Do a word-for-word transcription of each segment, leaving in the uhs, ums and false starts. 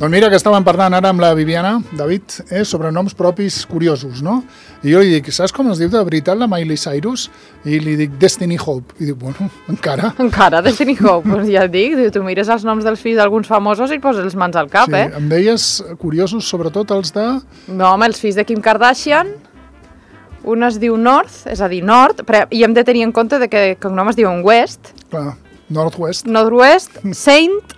Doncs mira que estàvem parlant ara amb la Viviana, David, eh, sobre noms propis curiosos, no? I jo li dic, saps com es diu de veritat la Miley Cyrus? I li dic Destiny Hope. I dic, bueno, encara. Encara, Destiny Hope, pues ja et dic, tu mires els noms dels fills d'alguns famosos i poses les mans al cap, sí, eh? Em deies curiosos, sobretot els de... No, home, els fills de Kim Kardashian, un es diu North, és a dir, Nord, però, i hem de tenir en compte de que el cognom es diuen West. Clar, Northwest. Northwest, Saint,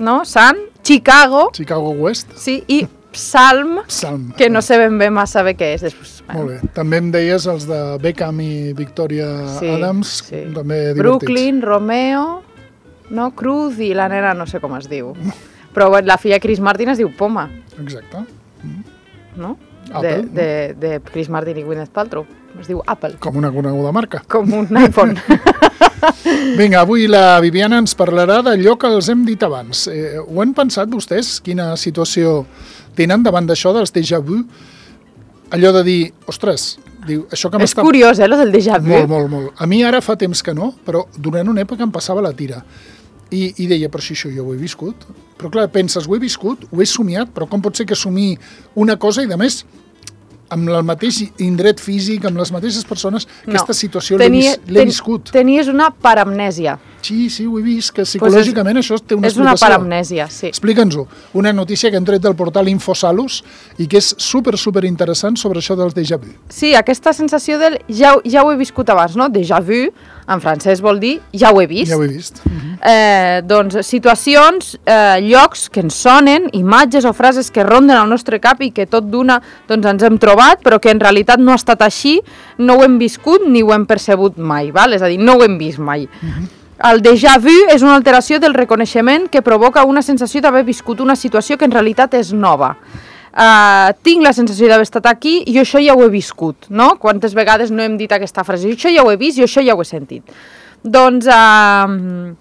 no? Sant, Chicago. Chicago West. Sí, i Psalm, Psalm. que no sé ben bé massa bé què és. Després, molt bé. També em deies els de Beckham i Victoria sí, Adams, sí. També divertits. Brooklyn, Romeo, no? Cruz i la nena no sé com es diu. Però la filla Chris Martin es diu Poma. Exacte. Mm. No? Apple. De, de, de Chris Martin i Gwyneth Paltrow. Es diu Apple. Com una coneguda marca. Com un iPhone. Vinga, avui la Viviana ens parlarà d'allò que els hem dit abans. Eh, ho han pensat vostès? Quina situació tenen davant d'això dels déjà vu? Allò de dir, ostres, diu, això que m'està... És curiós, eh, lo del déjà vu. Molt, molt, molt. A mi ara fa temps que no, però durant una època em passava la tira. I, i deia, però si això jo ho he viscut. Però clar, penses, ho he viscut, ho he somiat, però com pot ser que somii una cosa i, de més, amb el mateix indret físic, amb les mateixes persones, no. Aquesta situació l'he vis, ten, viscut. Tenies una paramnèsia. Sí, sí, ho he vist, que psicològicament pues és, això té una és explicació. És una paramnèsia, sí. Explica'ns-ho. Una notícia que hem tret del portal Infosalus i que és super, super interessant sobre això del déjà vu. Sí, aquesta sensació del ja, ja ho he viscut abans, no? Déjà vu, en francès vol dir ja ho he vist. Ja ho he vist. Uh-huh. eh, doncs situacions, eh, llocs que ens sonen, imatges o frases que ronden al nostre cap i que tot d'una doncs, ens hem trobat, però que en realitat no ha estat així, no ho hem viscut ni ho hem percebut mai, val? És a dir, no ho hem vist mai. Uh-huh. El déjà vu és una alteració del reconeixement que provoca una sensació d'haver viscut una situació que en realitat és nova. Uh, tinc la sensació d'haver estat aquí i això ja ho he viscut, no? Quantes vegades no hem dit aquesta frase, això ja ho he vist i això ja ho he sentit. Doncs uh,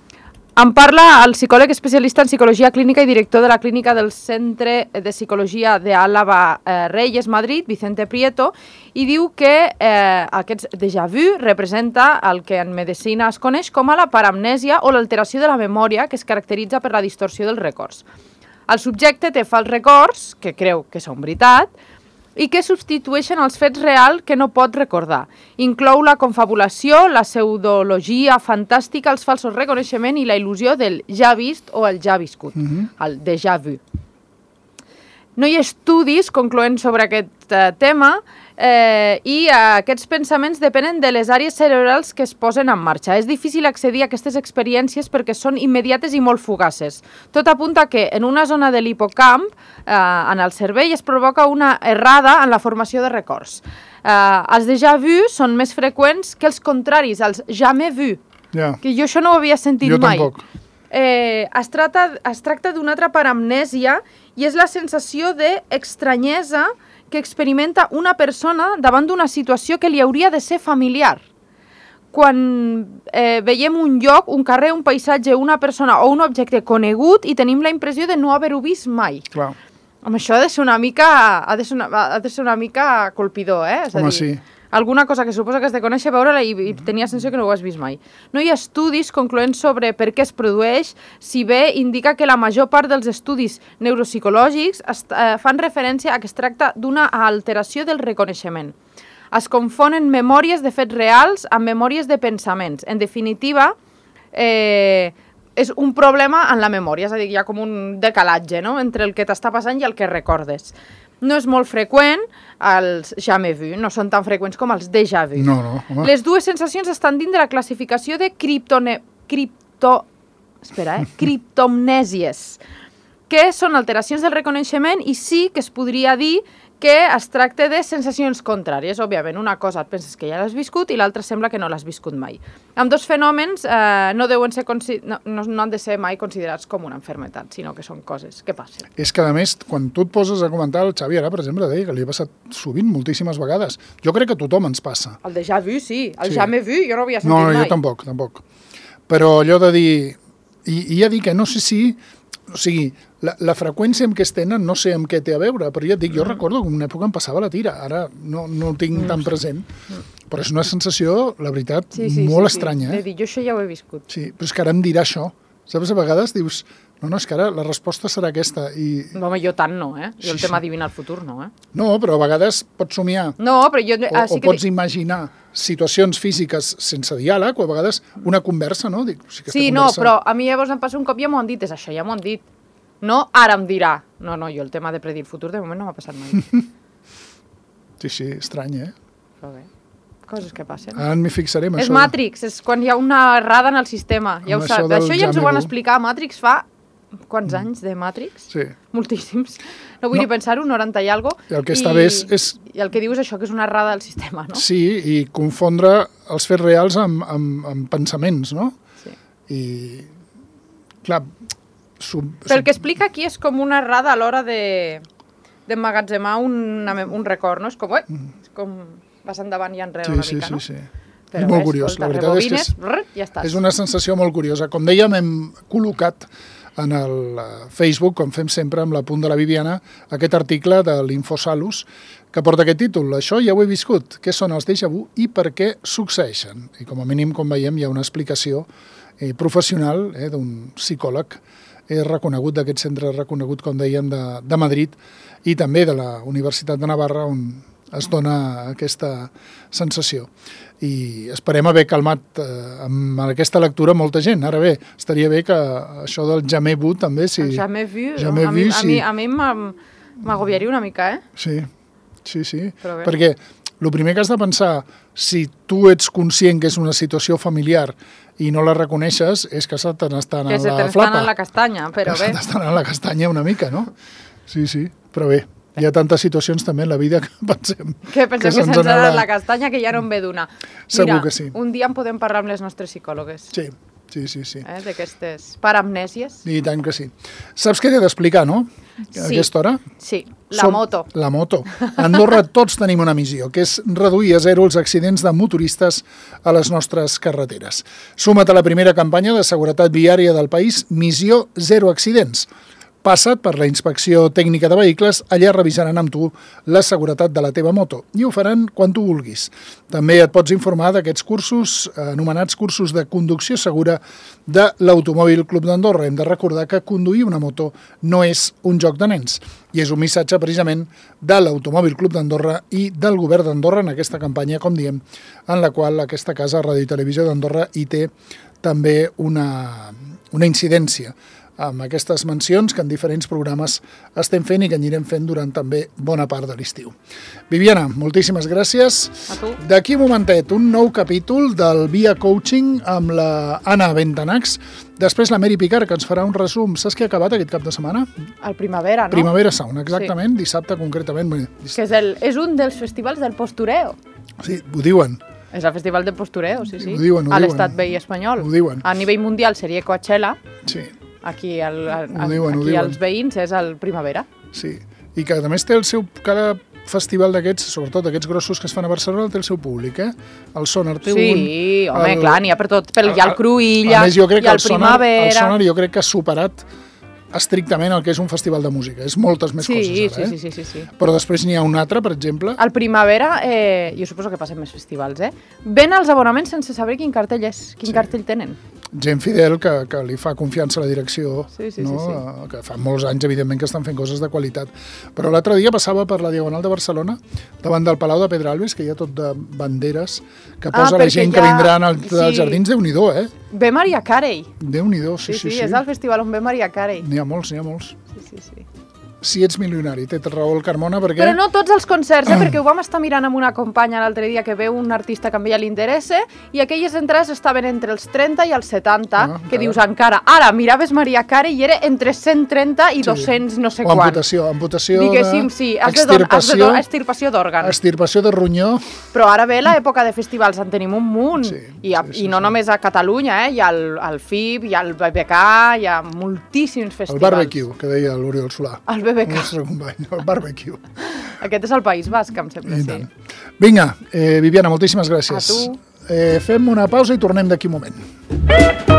em parla el psicòleg especialista en psicologia clínica i director de la clínica del Centre de Psicologia de Álava eh, Reyes, Madrid, Vicente Prieto, i diu que eh, aquest déjà vu representa el que en medicina es coneix com a la paramnèsia o l'alteració de la memòria que es caracteritza per la distorsió dels records. El subjecte té fals records, que creu que són veritat, i que substitueixen els fets reals que no pot recordar. Inclou la confabulació, la pseudologia fantàstica, els falsos reconeixements i la il·lusió del ja vist o el ja viscut, uh-huh. el déjà vu. No hi ha estudis concloents sobre aquest eh, tema eh, i eh, aquests pensaments depenen de les àrees cerebrals que es posen en marxa. És difícil accedir a aquestes experiències perquè són immediates i molt fugaces. Tot apunta que en una zona de l'hipocamp, eh, en el cervell, es provoca una errada en la formació de records. Eh, els déjà vu són més freqüents que els contraris, els jamais vu, yeah. que jo això no ho havia sentit jo mai. Tampoc. Eh, es tracta, es tracta d'una altra paramnèsia i és la sensació d'estranyesa que experimenta una persona davant d'una situació que li hauria de ser familiar. Quan eh, veiem un lloc, un carrer, un paisatge, una persona o un objecte conegut i tenim la impressió de no haver-ho vist mai. Clar. Home, això ha de ser una mica, ha de ser una, ha de ser una mica colpidor, eh? És a Home, dir, sí. Alguna cosa que suposa que has de conèixer, veure-la i, i tenia la sensació que no ho has vist mai. No hi ha estudis concloents sobre per què es produeix, si bé indica que la major part dels estudis neuropsicològics est, eh, fan referència a que es tracta d'una alteració del reconeixement. Es confonen memòries de fets reals amb memòries de pensaments. En definitiva, eh, és un problema en la memòria, és a dir, hi ha com un decalatge, no?, entre el que t'està passant i el que recordes. No és molt freqüent, els jamais vu, no són tan freqüents com els déjà vu. No, no, home. Les dues sensacions estan dins de la classificació de criptone... cripto... Espera, eh? criptomnèsies, que són alteracions del reconeixement i sí que es podria dir que es tracta de sensacions contràries. Òbviament, una cosa et penses que ja l'has viscut i l'altra sembla que no l'has viscut mai. Amb dos fenòmens eh, no, deuen ser no, no, no han de ser mai considerats com una malaltia, sinó que són coses que passen. És que, a més, quan tu et poses a comentar, el Xavi ara, per exemple, deia que li ha passat sovint, moltíssimes vegades. Jo crec que a tothom ens passa. El déjà vu, sí. El sí. jamais vu, jo no havia sentit no, mai. No, jo tampoc, tampoc. Però allò de dir... I, i ja dic que no sé si... O sigui, la, la freqüència amb què es tenen no sé amb què té a veure, però ja et dic, jo mm. recordo que en una època em passava la tira, ara no, no el tinc mm. tan present, mm. però és una sensació, la veritat, sí, sí, molt sí, estranya. Sí. Eh? De dir, jo això ja ho he viscut. Sí, però és que ara em dirà això. Saps, a vegades dius, No, no, és que ara la resposta serà aquesta. I... Home, jo tant no, eh? Jo Sí, el tema sí. adivinar el futur no, eh? No, però a vegades pots somiar No, però jo... o, ah, sí o que pots imaginar situacions físiques sense diàleg o a vegades una conversa, no? Dic, si aquesta Sí, no, conversa... però a mi llavors em passa un cop, ja m'ho han dit, és això, ja m'ho han dit. No, ara em dirà. No, no, jo el tema de predir el futur de moment no m'ha passat mai. Sí, sí, estrany, eh? Però bé, coses que passen. Ara m'hi fixaré amb És això. Matrix, és quan hi ha una errada en el sistema, ja Amb ho això saps. del Això ja ens ho van Jamebu. explicar a Matrix fa... Quants anys de Matrix? Sí. Moltíssims. No vull No. ni pensar-ho, noranta i algo. I el que està bé és- és- I el que diu és això, que és una errada del sistema, no? Sí, i confondre els fets reals amb, amb, amb pensaments, no? Sí. I, clar... Sub, Però el que explica aquí és com una errada a l'hora de d'emmagatzemar un, un record, no? És com, eh, és com vas endavant i enrere sí, una sí, mica, sí, no? sí. Però és molt bé, curiós, escolta, la veritat és que rebobines, és, brr, ja estàs. és una sensació molt curiosa. Com dèiem, hem col·locat en el eh, Facebook, com fem sempre amb la punt de la Viviana, aquest article de l'Infosalus que porta aquest títol. Això ja ho he viscut. Què són els déjà vu i per què succeeixen? I com a mínim, com veiem, hi ha una explicació eh, professional eh, d'un psicòleg eh, reconegut, d'aquest centre reconegut, com dèiem, de, de Madrid i també de la Universitat de Navarra, on es dona aquesta sensació. I esperem haver calmat eh, amb aquesta lectura molta gent. Ara bé, estaria bé que això del jamais vu també... Si... El jamais vu, jamais a, mi, vu, a, sí. mi, a mi m'am- m'agobiaria una mica, eh? Sí, sí, sí. Però bé. Perquè el primer que has de pensar, si tu ets conscient que és una situació familiar i no la reconeixes, és que se te n'estan Que en se la t'estan flapa. en la castanya, però que bé. se t'estan en la castanya una mica, no? Sí, sí, però bé. Hi ha tantes situacions també en la vida que pensem Que pensem que se'ns se'ns ha n'ha anat la castanya, que ja no en ve d'una. Segur Mira, que sí. un dia en podem parlar amb les nostres psicòlogues, Sí, sí, sí, sí. eh, d'aquestes paramnèsies. I tant que sí. Saps què t'he d'explicar, no? A Sí. aquesta hora? Sí, la Som- moto. La moto. A Andorra tots tenim una missió, que és reduir a zero els accidents de motoristes a les nostres carreteres. Suma't a la primera campanya de seguretat viària del país, Missió Zero Accidents. Passa't per la inspecció tècnica de vehicles, allà revisaran amb tu la seguretat de la teva moto i ho faran quan tu vulguis. També et pots informar d'aquests cursos, anomenats cursos de conducció segura de l'Automòbil Club d'Andorra. Hem de recordar que conduir una moto no és un joc de nens i és un missatge precisament de l'Automòbil Club d'Andorra i del Govern d'Andorra en aquesta campanya, com diem, en la qual aquesta casa, Ràdio i Televisió d'Andorra, hi té també una, una incidència amb aquestes mencions que en diferents programes estem fent i que anirem fent durant també bona part de l'estiu. Viviana, moltíssimes gràcies. A tu. D'aquí un momentet, un nou capítol del Via Coaching amb la Anna Bentanax. Després la Mary Picard, que ens farà un resum. Saps què ha acabat aquest cap de setmana? Al Primavera, no? Primavera Sound, exactament, sí. Dissabte concretament. Bé, diss- Que és, el, és un dels festivals del postureo. Sí, ho diuen. És el festival de postureo, sí, sí. Ho diuen, ho a diuen. l'estat veí espanyol. Ho diuen. A nivell mundial seria Coachella. Sí, Aquí, el, el, Ho diuen, ho aquí diuen. els veïns és el Primavera. sí. I que a més té el seu... Cada festival d'aquests, sobretot aquests grossos que es fan a Barcelona, té el seu públic, eh? El Sonar té un... Sí, home, el- clar, n'hi ha per tot. Pel, hi ha el Cruïlla, A més, jo crec hi que ha el el Sonar, el Primavera... Sonar jo crec que ha superat estrictament el que és un festival de música. És moltes més sí, coses ara, sí, eh? sí, sí, sí, sí. Però després n'hi ha un altre, per exemple... Al Primavera, eh, jo suposo que passen més festivals, eh? Ven els abonaments sense saber quin cartell és, quin Sí. cartell tenen. Gent fidel que, que li fa confiança a la direcció, Sí, sí, no? sí, sí. Eh, que fa molts anys, evidentment, que estan fent coses de qualitat. Però l'altre dia passava per la Diagonal de Barcelona, davant del Palau de Pedralbes, que hi ha tot de banderes, que Ah, posa la perquè gent hi que ha- vindran als sí. als jardins. Déu-n'hi-do, eh? Ve Maria Carey. Déu-n'hi-do, sí, Sí, sí, sí, sí. és el festival on ve Maria Carey. N'hi ha molts, n'hi ha molts. Sí, sí, sí. Si ets milionari, té raó el Carmona, perquè... Però no tots els concerts, eh? perquè ho vam estar mirant amb una companya l'altre dia que veu un artista que a ella li interessa i aquelles entrades estaven entre els trenta i els setanta, Ah, que encara. dius encara. Ara, miraves Maria Carey i era entre cent trenta i dos-cents no sé o quant. amputació, amputació Diguéssim, de... sí, has de, don, has de extirpació, don, extirpació d'òrgans. extirpació de ronyó. Però ara ve l'època de festivals, en tenim un munt. Sí, I, a, sí, sí, I no sí. només a Catalunya, eh? Hi ha el, el F I B, hi ha el B B K, hi ha moltíssims El festivals. barbecue, que deia l'Oriol Solà. El B B El K. nostre company, el barbecue. Aquest és el País Basc, em sembla, I sí. tant. Vinga, eh, Viviana, moltíssimes gràcies. A tu. Eh, fem una pausa i tornem d'aquí un moment.